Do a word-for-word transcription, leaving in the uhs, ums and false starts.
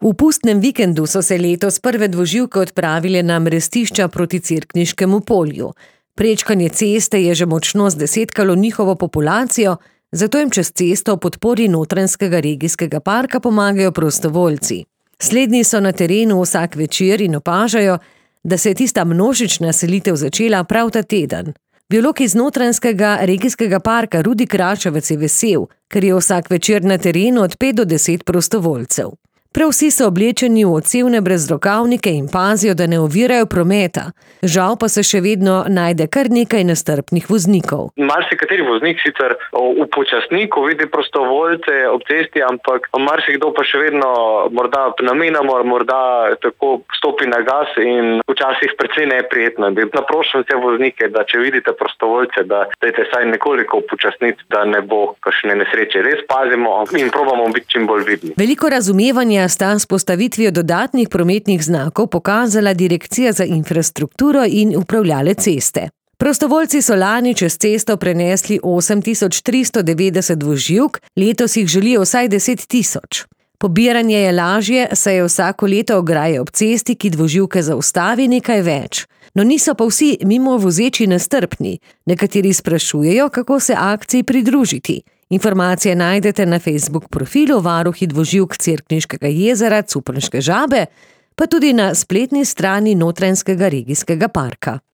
V pustnem vikendu so se letos prve dvoživke odpravile na mrestišča proti Cerkniškemu polju. Prečkanje ceste je že močno zdesetkalo njihovo populacijo, zato jim čez cesto v podpori Notranjskega regijskega parka pomagajo prostovoljci. Slednji so na terenu vsak večer in opažajo, da se je tista množična selitev začela prav ta teden. Biolog iz Notranjskega regijskega parka Rudi Kračevec je vesel, ker je vsak večer na terenu od pet do deset prostovoljcev. Prav vsi so oblečeni v odsevne brezrokavnike in pazijo, da ne ovirajo prometa. Žal pa se še vedno najde kar nekaj nestrpnih voznikov. Marsikateri voznik sicer upočasni, ko vidi prostovoljce ob cesti, ampak marsikdo pa še vedno morda namenoma, morda tako stopi na gas in včasih precej neprijetno. Naprošam vse voznike, da če vidite prostovoljce, da dajte saj nekoliko upočasniti, da ne bo kakšne nesreče. Res pazimo in probamo biti čim bolj vidni. Veliko razumevanja sta s postavitvijo dodatnih prometnih znakov pokazala Direkcija za infrastrukturo in upravljale ceste. Prostovoljci so lani čez cesto prenesli osem tisoč tristo devetdeset dvoživk, letos jih želijo vsaj deset tisoč. Pobiranje je lažje, saj je vsako leto ograje ob cesti, ki dvoživke zaustavi, nekaj več. No niso pa vsi mimo vozeči nestrpni. Nekateri sprašujejo, kako se akciji pridružiti. Informacije najdete na Facebook profilu Varuhi dvoživk Cerkniškega jezera Cuprnške Žabe, pa tudi na spletni strani Notranjskega regijskega parka.